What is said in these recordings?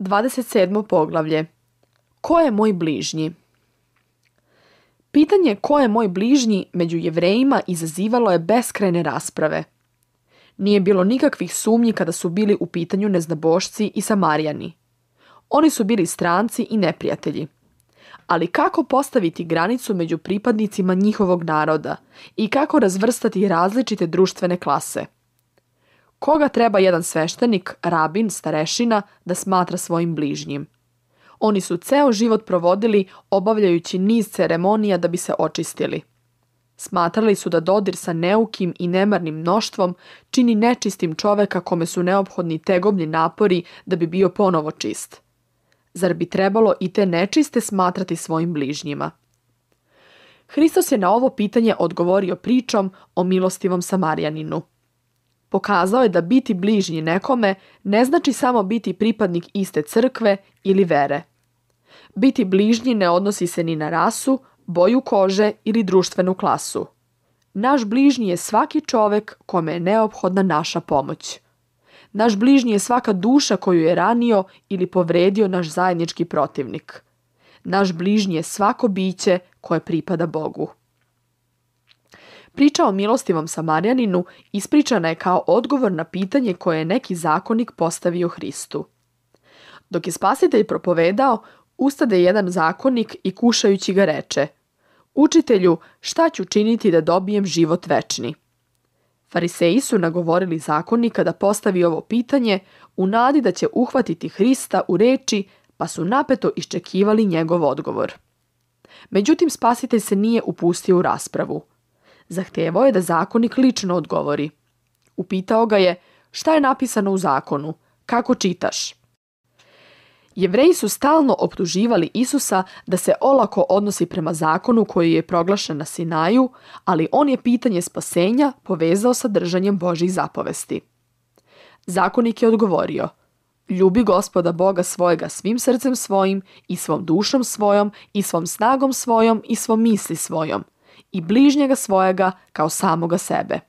27. poglavlje. Ko je moj bližnji? Pitanje ko je moj bližnji među Jevrejima izazivalo je beskrajne rasprave. Nije bilo nikakvih sumnji kada su bili u pitanju neznabošci i Samarijani. Oni su bili stranci i neprijatelji. Ali kako postaviti granicu među pripadnicima njihovog naroda i kako razvrstati različite društvene klase? Koga treba jedan sveštenik, rabin, starešina da smatra svojim bližnjim? Oni su ceo život provodili obavljajući niz ceremonija da bi se očistili. Smatrali su da dodir sa neukim i nemarnim mnoštvom čini nečistim čoveka kome su neophodni tegobni napori da bi bio ponovo čist. Zar bi trebalo i te nečiste smatrati svojim bližnjima? Hristos je na ovo pitanje odgovorio pričom o milostivom Samarijaninu. Pokazao je da biti bližnji nekome ne znači samo biti pripadnik iste crkve ili vere. Biti bližnji ne odnosi se ni na rasu, boju kože ili društvenu klasu. Naš bližnji je svaki čovek kome je neophodna naša pomoć. Naš bližnji je svaka duša koju je ranio ili povredio naš zajednički protivnik. Naš bližnji je svako biće koje pripada Bogu. Priča o milostivom Samarijaninu ispričana je kao odgovor na pitanje koje je neki zakonik postavio Hristu. Dok je Spasitelj propovedao, ustade jedan zakonik i kušajući ga reče: Učitelju, šta ću činiti da dobijem život večni? Fariseji su nagovorili zakonika da postavi ovo pitanje u nadi da će uhvatiti Hrista u reči, pa su napeto iščekivali njegov odgovor. Međutim, Spasitelj se nije upustio u raspravu. Zahtevao je da zakonik lično odgovori. Upitao ga je: šta je napisano u zakonu? Kako čitaš? Jevreji su stalno optuživali Isusa da se olako odnosi prema zakonu koji je proglašen na Sinaju, ali on je pitanje spasenja povezao sa držanjem Božjih zapovesti. Zakonik je odgovorio: ljubi Gospoda Boga svojega svim srcem svojim i svom dušom svojom i svom snagom svojom i svom misli svojom i bližnjega svojega kao samoga sebe.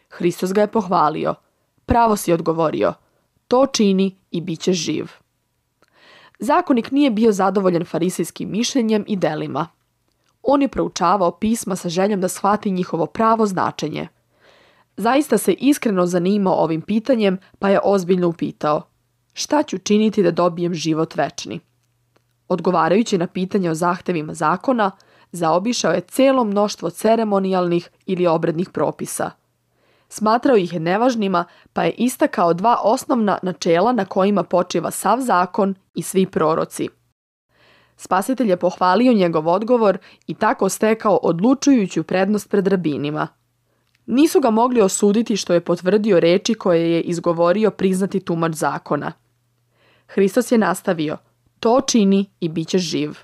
Hristos ga je pohvalio: pravo si odgovorio, to čini i bit ćeš živ. Zakonik nije bio zadovoljan farisejskim mišljenjem i delima. On je proučavao pisma sa željom da shvati njihovo pravo značenje. Zaista se iskreno zanimao ovim pitanjem, pa je ozbiljno upitao: šta ću činiti da dobijem život večni? Odgovarajući na pitanje o zahtevima zakona, zaobišao je celo mnoštvo ceremonijalnih ili obrednih propisa. Smatrao ih nevažnima, pa je istakao dva osnovna načela na kojima počiva sav zakon i svi proroci. Spasitelj je pohvalio njegov odgovor i tako stekao odlučujuću prednost pred rabinima. Nisu ga mogli osuditi što je potvrdio reči koje je izgovorio priznati tumač zakona. Hristos je nastavio: to čini i bit ćeš živ.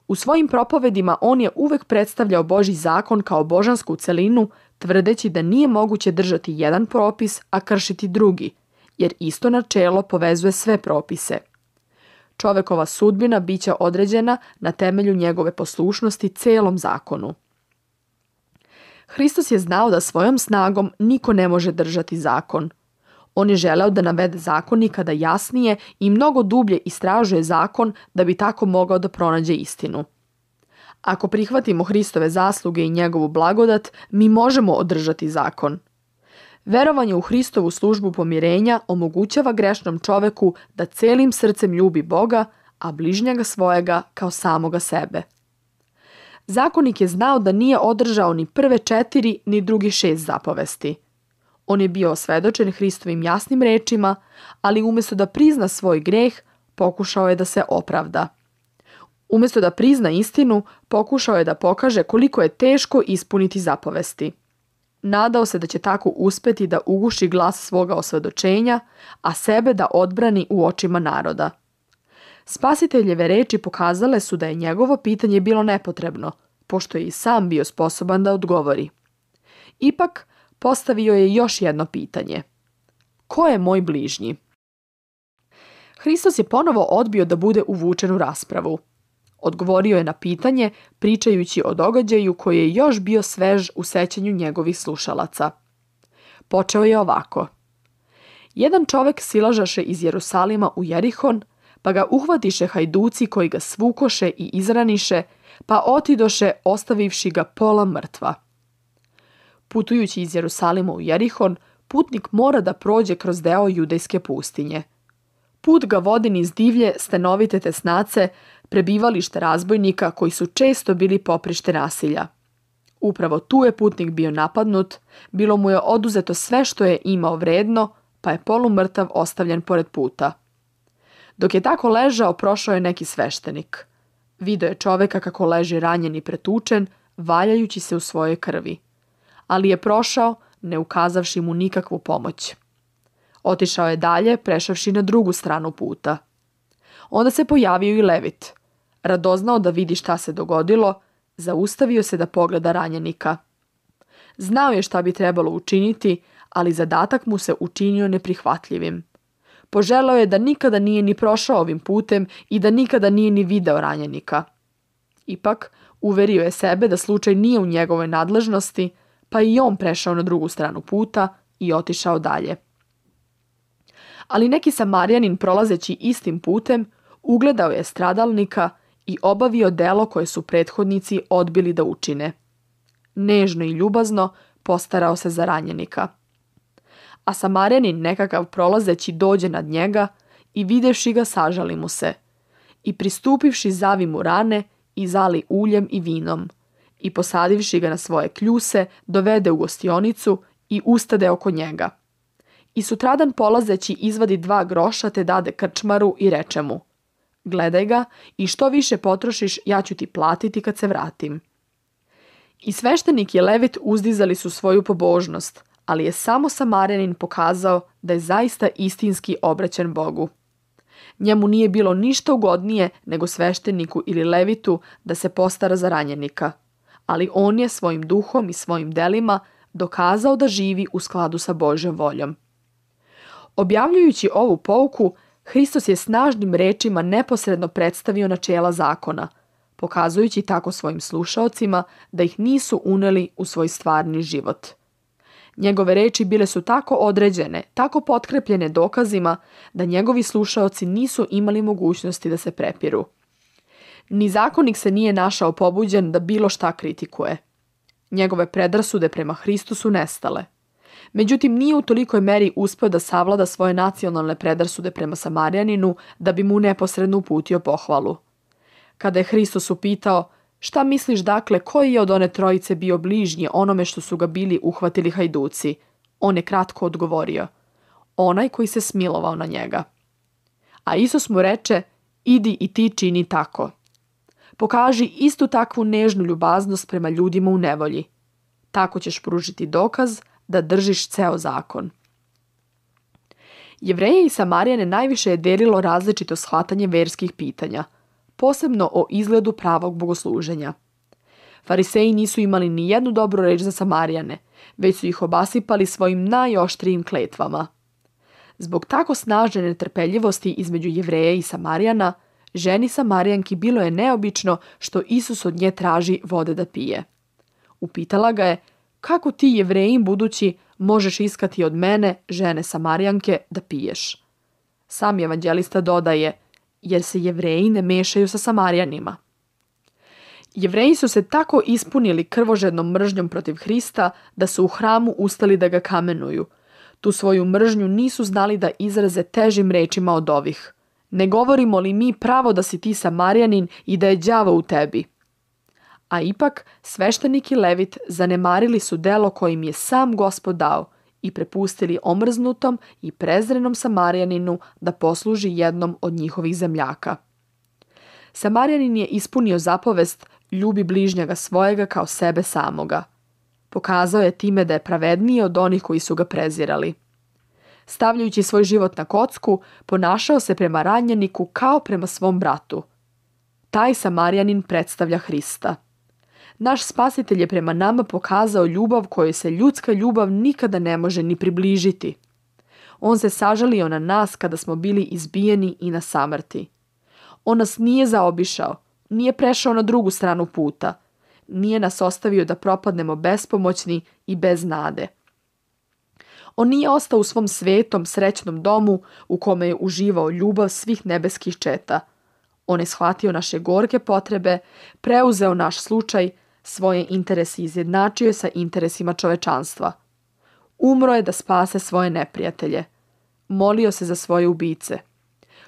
U svojim propovedima on je uvek predstavljao Božji zakon kao božansku celinu, tvrdeći da nije moguće držati jedan propis, a kršiti drugi, jer isto načelo povezuje sve propise. Čovekova sudbina biće određena na temelju njegove poslušnosti celom zakonu. Hristos je znao da svojom snagom niko ne može držati zakon. On je želeo da navede zakonika da jasnije i mnogo dublje istražuje zakon da bi tako mogao da pronađe istinu. Ako prihvatimo Hristove zasluge i njegovu blagodat, mi možemo održati zakon. Verovanje u Hristovu službu pomirenja omogućava grešnom čoveku da celim srcem ljubi Boga, a bližnjega svojega kao samoga sebe. Zakonik je znao da nije održao ni prve 4 ni drugih 6 zapovesti. On je bio osvedočen Hristovim jasnim rečima, ali umjesto da prizna svoj greh, pokušao je da se opravda. Umjesto da prizna istinu, pokušao je da pokaže koliko je teško ispuniti zapovesti. Nadao se da će tako uspeti da uguši glas svoga osvedočenja, a sebe da odbrani u očima naroda. Spasiteljeve reči pokazale su da je njegovo pitanje bilo nepotrebno, pošto je i sam bio sposoban da odgovori. Ipak, postavio je još jedno pitanje: ko je moj bližnji? Hristos je ponovo odbio da bude uvučen u raspravu. Odgovorio je na pitanje pričajući o događaju koji je još bio svež u sećanju njegovih slušalaca. Počeo je ovako: Jedan čovek silažaše iz Jerusalima u Jerihon, pa ga uhvatiše hajduci koji ga svukoše i izraniše, pa otidoše ostavivši ga pola mrtva. Putujući iz Jerusalima u Jerihon, putnik mora da prođe kroz deo judejske pustinje. Put ga vodi niz divlje, stenovite tesnace, prebivalište razbojnika koji su često bili poprište nasilja. Upravo tu je putnik bio napadnut, bilo mu je oduzeto sve što je imao vredno, pa je polumrtav ostavljen pored puta. Dok je tako ležao, prošao je neki sveštenik. Video je čoveka kako leži ranjen i pretučen, valjajući se u svojoj krvi. Ali je prošao, ne ukazavši mu nikakvu pomoć. Otišao je dalje, prešavši na drugu stranu puta. Onda se pojavio i Levit. Radoznao da vidi šta se dogodilo, zaustavio se da pogleda ranjenika. Znao je šta bi trebalo učiniti, ali zadatak mu se učinio neprihvatljivim. Poželeo je da nikada nije ni prošao ovim putem i da nikada nije ni video ranjenika. Ipak, uverio je sebe da slučaj nije u njegovoj nadležnosti, pa i on prešao na drugu stranu puta i otišao dalje. Ali neki Samarjanin prolazeći istim putem ugledao je stradalnika i obavio delo koje su prethodnici odbili da učine. Nežno i ljubazno postarao se za ranjenika. A Samarjanin nekakav prolazeći dođe nad njega i videvši ga sažali mu se. I pristupivši zavi mu rane i zali uljem i vinom. I posadivši ga na svoje kljuse, dovede u gostionicu i ustade oko njega. I sutradan polazeći izvadi 2 groša te dade krčmaru i reče mu: gledaj ga i što više potrošiš, ja ću ti platiti kad se vratim. I sveštenik i Levit uzdizali su svoju pobožnost, ali je samo Samarjanin pokazao da je zaista istinski obraćen Bogu. Njemu nije bilo ništa ugodnije nego svešteniku ili Levitu da se postara za ranjenika, ali on je svojim duhom i svojim delima dokazao da živi u skladu sa Božjom voljom. Objavljujući ovu pouku, Hristos je snažnim rečima neposredno predstavio načela zakona, pokazujući tako svojim slušaocima da ih nisu uneli u svoj stvarni život. Njegove reči bile su tako određene, tako potkrepljene dokazima, da njegovi slušaoci nisu imali mogućnosti da se prepiru. Ni zakonik se nije našao pobuđen da bilo šta kritikuje. Njegove predrasude prema Hristu su nestale. Međutim, nije u tolikoj meri uspeo da savlada svoje nacionalne predrasude prema Samarjaninu da bi mu neposredno uputio pohvalu. Kada je Hristos upitao: šta misliš dakle, koji je od one trojice bio bližnji onome što su ga bili uhvatili hajduci? On je kratko odgovorio: onaj koji se smilovao na njega. A Isus mu reče: idi i ti čini tako. Pokaži istu takvu nežnu ljubaznost prema ljudima u nevolji. Tako ćeš pružiti dokaz da držiš ceo zakon. Jevreje i Samarijane najviše je delilo različito shvatanje verskih pitanja, posebno o izgledu pravog bogosluženja. Fariseji nisu imali ni jednu dobru reč za Samarijane, već su ih obasipali svojim najoštrijim kletvama. Zbog tako snažne netrpeljivosti između Jevreja i Samarijana, ženi Samarijanki bilo je neobično što Isus od nje traži vode da pije. Upitala ga je: kako ti, Jevrejin budući, možeš iskati od mene, žene Samarijanke, da piješ? Sam evanđelista dodaje: jer se Jevreji ne mešaju sa Samarijanima. Jevreji su se tako ispunili krvožednom mržnjom protiv Hrista da su u hramu ustali da ga kamenuju. Tu svoju mržnju nisu znali da izraze težim rečima od ovih: ne govorimo li mi pravo da si ti Samarijanin i da je đavo u tebi? A ipak sveštenik i Levit zanemarili su delo kojim je sam Gospod dao i prepustili omrznutom i prezrenom Samarijaninu da posluži jednom od njihovih zemljaka. Samarijanin je ispunio zapovest: ljubi bližnjega svojega kao sebe samoga. Pokazao je time da je pravedniji od onih koji su ga prezirali. Stavljajući svoj život na kocku, ponašao se prema ranjeniku kao prema svom bratu. Taj Samarijanin predstavlja Hrista. Naš Spasitelj je prema nama pokazao ljubav kojoj se ljudska ljubav nikada ne može ni približiti. On se sažalio na nas kada smo bili izbijeni i na samrti. On nas nije zaobišao, nije prešao na drugu stranu puta, nije nas ostavio da propadnemo bespomoćni i bez nade. On nije ostao u svom svetom, srećnom domu u kome je uživao ljubav svih nebeskih četa. On je shvatio naše gorke potrebe, preuzeo naš slučaj, svoje interese izjednačio sa interesima čovečanstva. Umro je da spase svoje neprijatelje. Molio se za svoje ubice.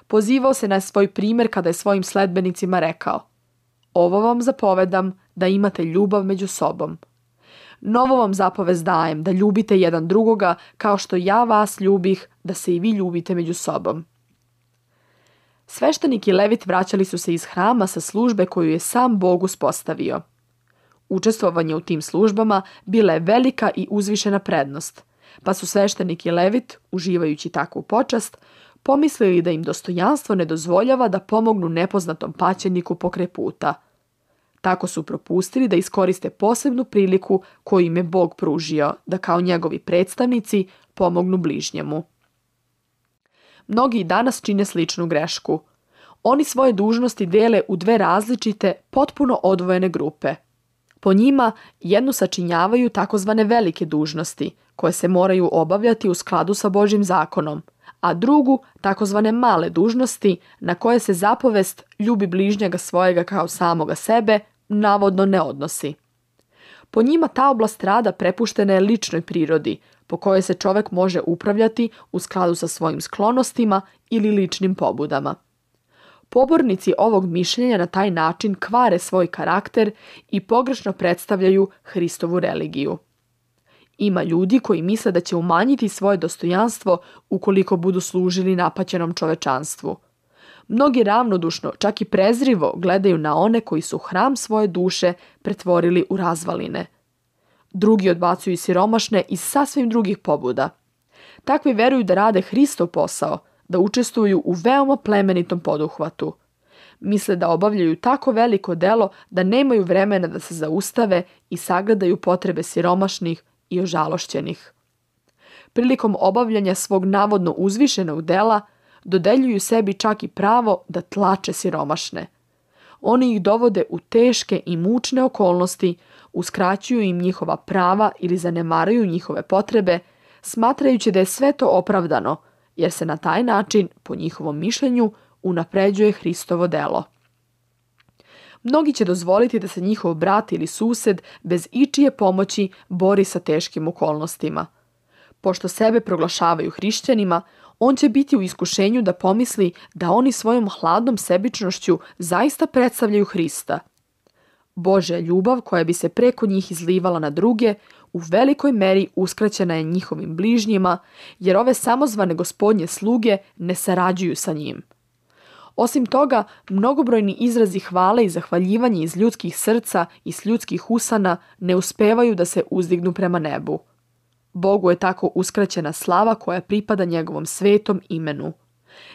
Pozivao se na svoj primjer kada je svojim sledbenicima rekao: ovo vam zapovedam, da imate ljubav među sobom. Novo vam zapovest dajem, da ljubite jedan drugoga kao što ja vas ljubih, da se i vi ljubite među sobom. Sveštenik i levit vraćali su se iz hrama sa službe koju je sam Bog uspostavio. Učestvovanje u tim službama bila je velika i uzvišena prednost, pa su sveštenik i levit, uživajući takvu počast, pomislili da im dostojanstvo ne dozvoljava da pomognu nepoznatom paćeniku pokraj puta. Tako su propustili da iskoriste posebnu priliku koju im je Bog pružio, da kao njegovi predstavnici pomognu bližnjemu. Mnogi i danas čine sličnu grešku. Oni svoje dužnosti dele u dve različite, potpuno odvojene grupe. Po njima jednu sačinjavaju takozvane velike dužnosti, koje se moraju obavljati u skladu sa Božjim zakonom, a drugu takozvane male dužnosti na koje se zapovest ljubi bližnjega svojega kao samoga sebe navodno ne odnosi. Po njima ta oblast rada prepuštena je ličnoj prirodi, po kojoj se čovjek može upravljati u skladu sa svojim sklonostima ili ličnim pobudama. Pobornici ovog mišljenja na taj način kvare svoj karakter i pogrešno predstavljaju Hristovu religiju. Ima ljudi koji misle da će umanjiti svoje dostojanstvo ukoliko budu služili napaćenom čovečanstvu. Mnogi ravnodušno, čak i prezrivo, gledaju na one koji su hram svoje duše pretvorili u razvaline. Drugi odbacuju siromašne iz sasvim drugih pobuda. Takvi veruju da rade Hristov posao, da učestvuju u veoma plemenitom poduhvatu. Misle da obavljaju tako veliko delo da nemaju vremena da se zaustave i sagledaju potrebe siromašnih i ožalošćenih. Prilikom obavljanja svog navodno uzvišenog dela dodeljuju sebi čak i pravo da tlače siromašne. Oni ih dovode u teške i mučne okolnosti, uskraćuju im njihova prava ili zanemaraju njihove potrebe, smatrajući da je sve to opravdano, jer se na taj način, po njihovom mišljenju, unapređuje Hristovo delo. Mnogi će dozvoliti da se njihov brat ili sused bez ičije pomoći bori sa teškim okolnostima. Pošto sebe proglašavaju hrišćanima, on će biti u iskušenju da pomisli da oni svojom hladnom sebičnošću zaista predstavljaju Hrista. Božja ljubav koja bi se preko njih izlivala na druge, u velikoj meri uskraćena je njihovim bližnjima, jer ove samozvane gospodnje sluge ne sarađuju sa njim. Osim toga, mnogobrojni izrazi hvale i zahvaljivanja iz ljudskih srca i s ljudskih usana ne uspevaju da se uzdignu prema nebu. Bogu je tako uskraćena slava koja pripada njegovom svetom imenu.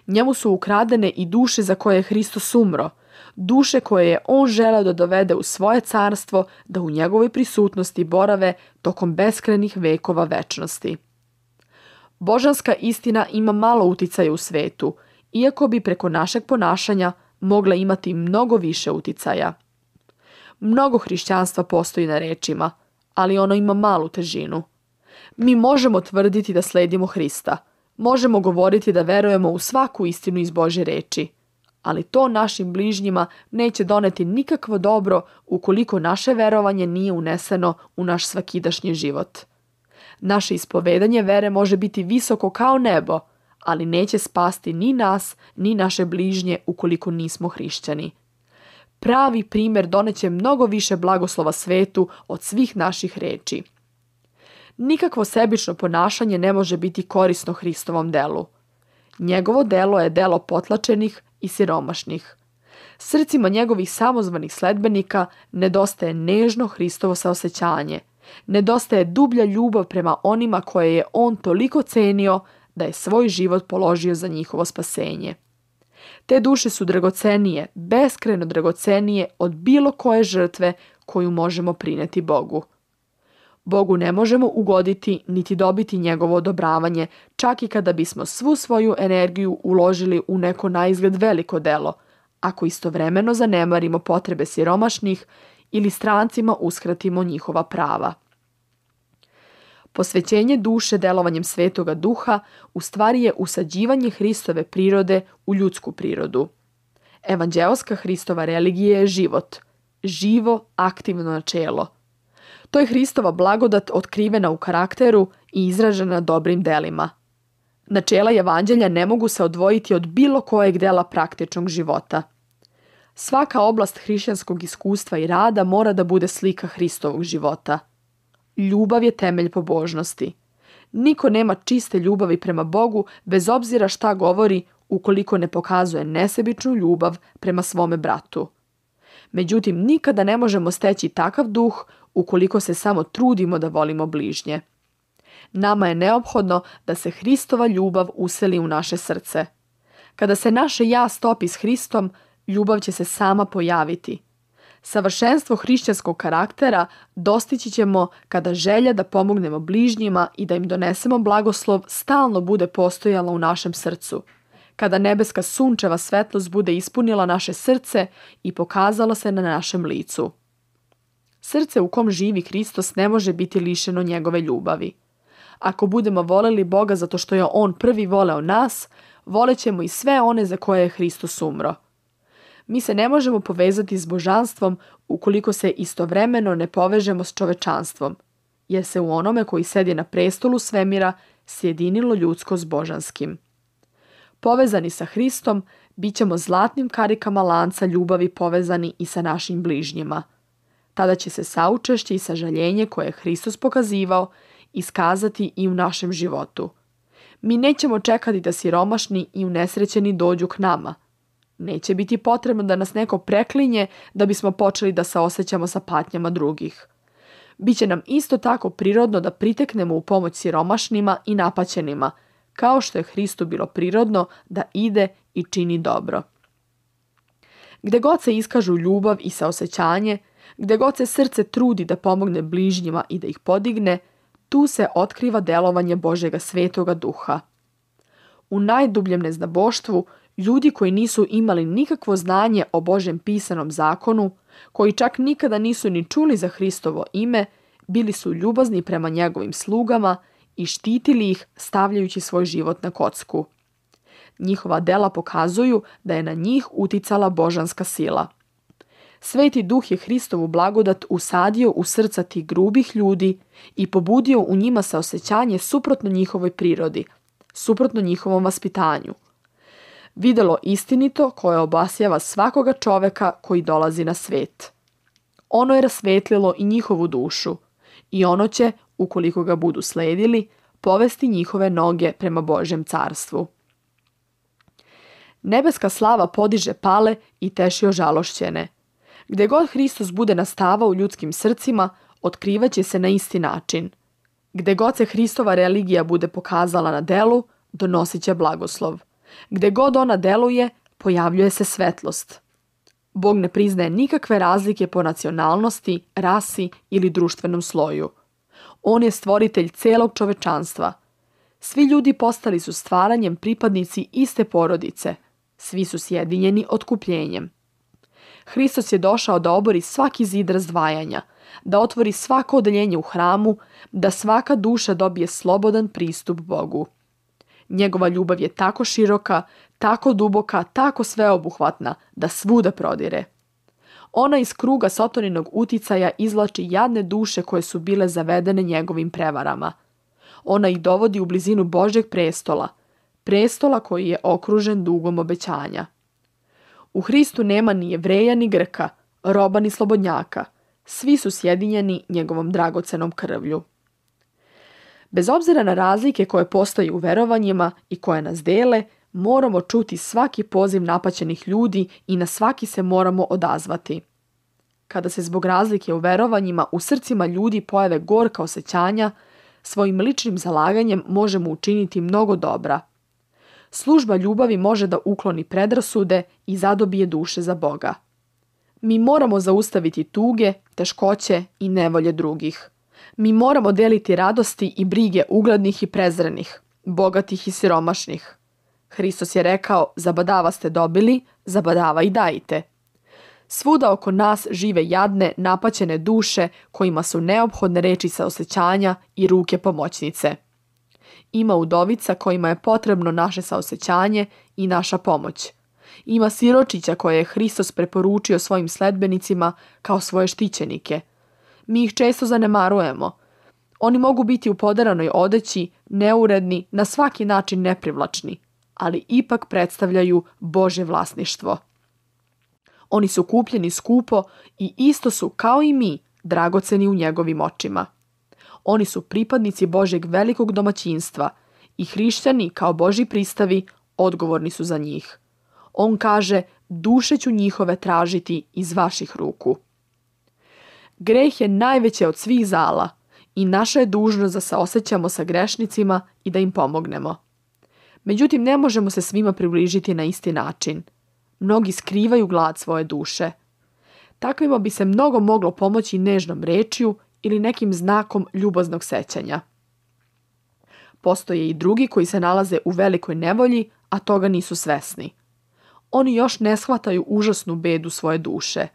Njemu su ukradene i duše za koje je Hristos umro, duše koje je on želeo da dovede u svoje carstvo, da u njegovoj prisutnosti borave tokom beskrajnih vekova večnosti. Božanska istina ima malo uticaja u svetu, iako bi preko našeg ponašanja mogla imati mnogo više uticaja. Mnogo hrišćanstva postoji na rečima, ali ono ima malu težinu. Mi možemo tvrditi da sledimo Hrista, možemo govoriti da verujemo u svaku istinu iz Božje reči, ali to našim bližnjima neće doneti nikakvo dobro ukoliko naše verovanje nije uneseno u naš svakidašnji život. Naše ispovedanje vere može biti visoko kao nebo, ali neće spasti ni nas, ni naše bližnje ukoliko nismo hrišćani. Pravi primjer doneće mnogo više blagoslova svetu od svih naših reči. Nikakvo sebično ponašanje ne može biti korisno Hristovom delu. Njegovo delo je delo potlačenih i siromašnih. Srcima njegovih samozvanih sledbenika nedostaje nežno Hristovo saosećanje, nedostaje dublja ljubav prema onima koje je on toliko cenio da je svoj život položio za njihovo spasenje. Te duše su dragocenije, beskrajno dragocenije od bilo koje žrtve koju možemo prineti Bogu. Bogu ne možemo ugoditi niti dobiti njegovo odobravanje, čak i kada bismo svu svoju energiju uložili u neko naizgled veliko delo, ako istovremeno zanemarimo potrebe siromašnih ili strancima uskratimo njihova prava. Posvećenje duše delovanjem Svetoga Duha u stvari je usađivanje Hristove prirode u ljudsku prirodu. Evanđeoska Hristova religija je život, živo, aktivno načelo. To je Hristova blagodat otkrivena u karakteru i izražena dobrim delima. Načela Evanđelja ne mogu se odvojiti od bilo kojeg dela praktičnog života. Svaka oblast hrišćanskog iskustva i rada mora da bude slika Hristovog života. Ljubav je temelj pobožnosti. Niko nema čiste ljubavi prema Bogu bez obzira šta govori ukoliko ne pokazuje nesebičnu ljubav prema svome bratu. Međutim, nikada ne možemo steći takav duh ukoliko se samo trudimo da volimo bližnje. Nama je neophodno da se Hristova ljubav useli u naše srce. Kada se naše ja stopi s Hristom, ljubav će se sama pojaviti. Savršenstvo hrišćanskog karaktera dostići ćemo kada želja da pomognemo bližnjima i da im donesemo blagoslov stalno bude postojala u našem srcu. Kada nebeska sunčeva svetlost bude ispunila naše srce i pokazala se na našem licu. Srce u kom živi Hristos ne može biti lišeno njegove ljubavi. Ako budemo voleli Boga zato što je On prvi voleo nas, volećemo i sve one za koje je Hristos umro. Mi se ne možemo povezati s božanstvom ukoliko se istovremeno ne povežemo s čovečanstvom, jer se u onome koji sedi na prestolu svemira sjedinilo ljudsko s božanskim. Povezani sa Hristom, bit ćemo zlatnim karikama lanca ljubavi povezani i sa našim bližnjima. Tada će se saučešće i sažaljenje koje je Hristos pokazivao iskazati i u našem životu. Mi nećemo čekati da siromašni i unesrećeni dođu k nama. Neće biti potrebno da nas neko preklinje da bismo počeli da se osjećamo sa patnjama drugih. Biće nam isto tako prirodno da priteknemo u pomoć siromašnima i napaćenima, kao što je Hristu bilo prirodno da ide i čini dobro. Gde god se iskažu ljubav i saosećanje, gde god se srce trudi da pomogne bližnjima i da ih podigne, tu se otkriva delovanje Božjega Svetoga Duha. U najdubljem neznaboštvu, ljudi koji nisu imali nikakvo znanje o Božjem pisanom zakonu, koji čak nikada nisu ni čuli za Hristovo ime, bili su ljubazni prema njegovim slugama i štitili ih stavljajući svoj život na kocku. Njihova dela pokazuju da je na njih uticala božanska sila. Sveti Duh je Hristovu blagodat usadio u srca tih grubih ljudi i pobudio u njima saosećanje suprotno njihovoj prirodi, suprotno njihovom vaspitanju. Videlo istinito koje obasjava svakoga čoveka koji dolazi na svet. Ono je rasvetlilo i njihovu dušu i ono će, ukoliko ga budu sledili, povesti njihove noge prema Božjem carstvu. Nebeska slava podiže pale i teši ožalošćene. Gde god Hristos bude nastavao u ljudskim srcima, otkrivaće se na isti način. Gde god se Hristova religija bude pokazala na delu, donosit će blagoslov. Gde god ona deluje, pojavljuje se svetlost. Bog ne priznaje nikakve razlike po nacionalnosti, rasi ili društvenom sloju. On je stvoritelj celog čovečanstva. Svi ljudi postali su stvaranjem pripadnici iste porodice. Svi su sjedinjeni otkupljenjem. Hristos je došao da obori svaki zid razdvajanja, da otvori svako odeljenje u hramu, da svaka duša dobije slobodan pristup Bogu. Njegova ljubav je tako široka, tako duboka, tako sveobuhvatna, da svuda prodire. Ona iz kruga Sotoninog uticaja izvlači jadne duše koje su bile zavedene njegovim prevarama. Ona ih dovodi u blizinu Božjeg prestola, prestola koji je okružen dugom obećanja. U Hristu nema ni Jevreja ni Grka, roba ni slobodnjaka. Svi su sjedinjeni njegovom dragocenom krvlju. Bez obzira na razlike koje postoje u verovanjima i koje nas dele, moramo čuti svaki poziv napaćenih ljudi i na svaki se moramo odazvati. Kada se zbog razlike u verovanjima u srcima ljudi pojave gorka osjećanja, svojim ličnim zalaganjem možemo učiniti mnogo dobra. Služba ljubavi može da ukloni predrasude i zadobije duše za Boga. Mi moramo zaustaviti tuge, teškoće i nevolje drugih. Mi moramo deliti radosti i brige uglednih i prezrenih, bogatih i siromašnih. Hristos je rekao, zabadava ste dobili, zabadava i dajte. Svuda oko nas žive jadne, napaćene duše kojima su neophodne reči saosećanja i ruke pomoćnice. Ima udovica kojima je potrebno naše saosećanje i naša pomoć. Ima siročića koje je Hristos preporučio svojim sledbenicima kao svoje štićenike. Mi ih često zanemarujemo. Oni mogu biti u poderanoj odeći, neuredni, na svaki način neprivlačni, ali ipak predstavljaju Božje vlasništvo. Oni su kupljeni skupo i isto su, kao i mi, dragoceni u njegovim očima. Oni su pripadnici Božjeg velikog domaćinstva i hrišćani, kao Božji pristavi, odgovorni su za njih. On kaže, duše ću njihove tražiti iz vaših ruku. Greh je najveće od svih zala i naša je dužnost da se osjećamo sa grešnicima i da im pomognemo. Međutim, ne možemo se svima približiti na isti način. Mnogi skrivaju glad svoje duše. Takvima bi se mnogo moglo pomoći nežnom rečju ili nekim znakom ljubaznog sećanja. Postoje i drugi koji se nalaze u velikoj nevolji, a toga nisu svesni. Oni još ne shvataju užasnu bedu svoje duše.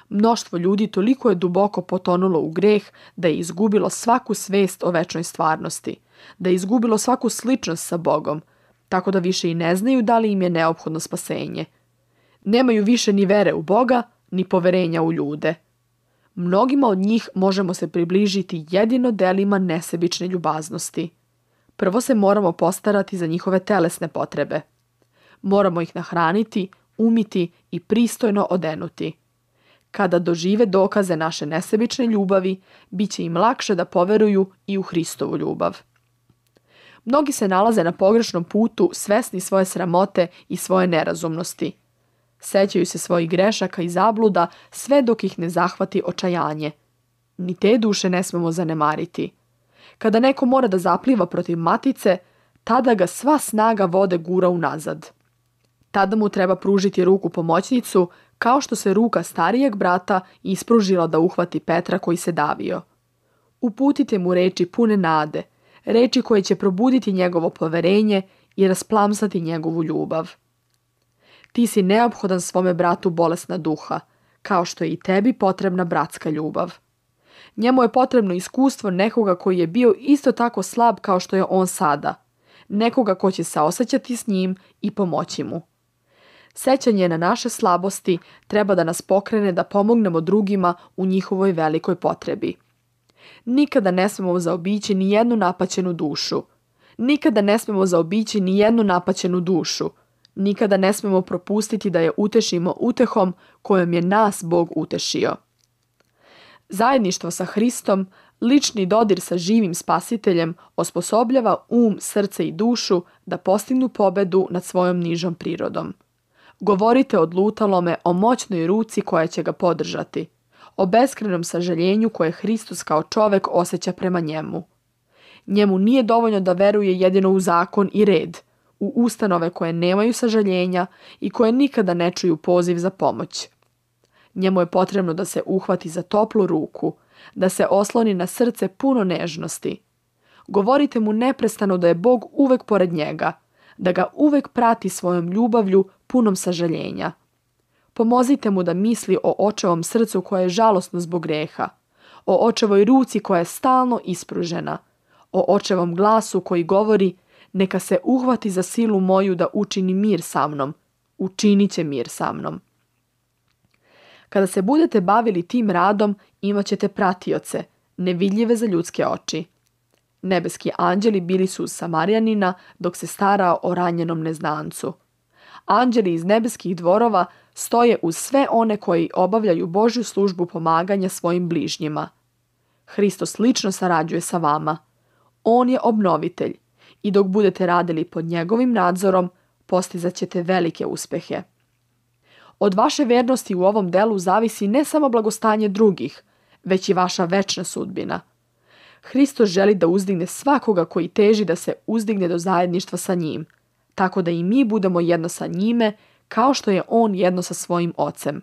Mnoštvo ljudi toliko je duboko potonulo u greh da je izgubilo svaku svest o večnoj stvarnosti, da je izgubilo svaku sličnost sa Bogom, tako da više i ne znaju da li im je neophodno spasenje. Nemaju više ni vere u Boga, ni poverenja u ljude. Mnogima od njih možemo se približiti jedino delima nesebične ljubaznosti. Prvo se moramo postarati za njihove telesne potrebe. Moramo ih nahraniti, umiti i pristojno odenuti. Kada dožive dokaze naše nesebične ljubavi, bit će im lakše da poveruju i u Hristovu ljubav. Mnogi se nalaze na pogrešnom putu, svesni svoje sramote i svoje nerazumnosti. Sećaju se svojih grešaka i zabluda sve dok ih ne zahvati očajanje. Ni te duše ne smemo zanemariti. Kada neko mora da zapliva protiv matice, tada ga sva snaga vode gura unazad. Tada mu treba pružiti ruku pomoćnicu, kao što se ruka starijeg brata ispružila da uhvati Petra koji se davio. Uputite mu reči pune nade, reči koje će probuditi njegovo poverenje i rasplamsati njegovu ljubav. Ti si neophodan svome bratu bolesna duha, kao što je i tebi potrebna bratska ljubav. Njemu je potrebno iskustvo nekoga koji je bio isto tako slab kao što je on sada, nekoga ko će saosećati s njim i pomoći mu. Sećanje na naše slabosti treba da nas pokrene da pomognemo drugima u njihovoj velikoj potrebi. Nikada ne smemo zaobići ni jednu napaćenu dušu. Nikada ne smemo zaobići ni jednu napaćenu dušu. Nikada ne smemo propustiti da je utešimo utehom kojom je nas Bog utešio. Zajedništvo sa Hristom, lični dodir sa živim spasiteljem osposobljava srce i dušu da postignu pobedu nad svojom nižom prirodom. Govorite odlutalome o moćnoj ruci koja će ga podržati, o beskrenom sažaljenju koje Hristos kao čovek osjeća prema njemu. Njemu nije dovoljno da veruje jedino u zakon i red, u ustanove koje nemaju sažaljenja i koje nikada ne čuju poziv za pomoć. Njemu je potrebno da se uhvati za toplu ruku, da se osloni na srce puno nežnosti. Govorite mu neprestano da je Bog uvek pored njega, da ga uvek prati svojom ljubavlju punom sažaljenja. Pomozite mu da misli o očevom srcu koje je žalosno zbog greha, o očevoj ruci koja je stalno ispružena, o očevom glasu koji govori neka se uhvati za silu moju da učini mir sa mnom, učinit će mir sa mnom. Kada se budete bavili tim radom, imat ćete pratioce, nevidljive za ljudske oči. Nebeski anđeli bili su uz Samarijanina dok se starao o ranjenom neznancu. Anđeli iz nebeskih dvorova stoje uz sve one koji obavljaju Božju službu pomaganja svojim bližnjima. Hristos lično sarađuje sa vama. On je obnovitelj i dok budete radili pod njegovim nadzorom, postizat ćete velike uspehe. Od vaše vernosti u ovom delu zavisi ne samo blagostanje drugih, već i vaša večna sudbina. Hristos želi da uzdigne svakoga koji teži da se uzdigne do zajedništva sa njim, tako da i mi budemo jedno sa njime, kao što je on jedno sa svojim Ocem.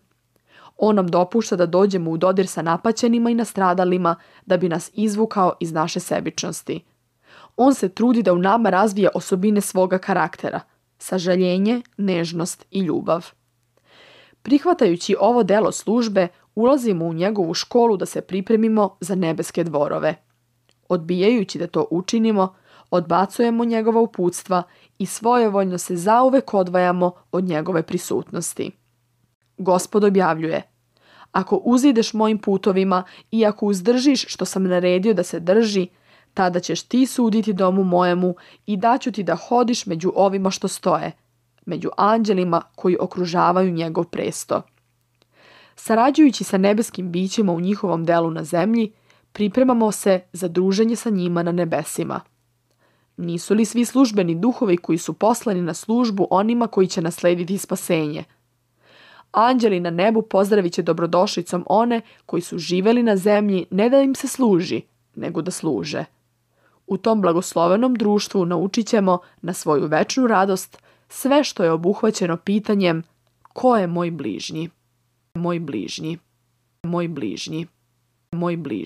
On nam dopušta da dođemo u dodir sa napaćenima i nastradalima da bi nas izvukao iz naše sebičnosti. On se trudi da u nama razvije osobine svoga karaktera, sažaljenje, nežnost i ljubav. Prihvatajući ovo delo službe, ulazimo u njegovu školu da se pripremimo za nebeske dvorove. Odbijajući da to učinimo, odbacujemo njegova uputstva i svojevoljno se zauvek odvajamo od njegove prisutnosti. Gospod objavljuje: ako uzideš mojim putovima i ako uzdržiš što sam naredio da se drži, tada ćeš ti suditi domu mojemu i daću ti da hodiš među ovima što stoje, među anđelima koji okružavaju njegov presto. Sarađujući sa nebeskim bićima u njihovom delu na zemlji, pripremamo se za druženje sa njima na nebesima. Nisu li svi službeni duhovi koji su poslani na službu onima koji će naslediti spasenje? Anđeli na nebu pozdravit će dobrodošlicom one koji su živeli na zemlji ne da im se služi, nego da služe. U tom blagoslovenom društvu naučit ćemo na svoju večnu radost sve što je obuhvaćeno pitanjem: ko je moj bližnji? Moj bližnji. Moj bližnji. Moj bližnji.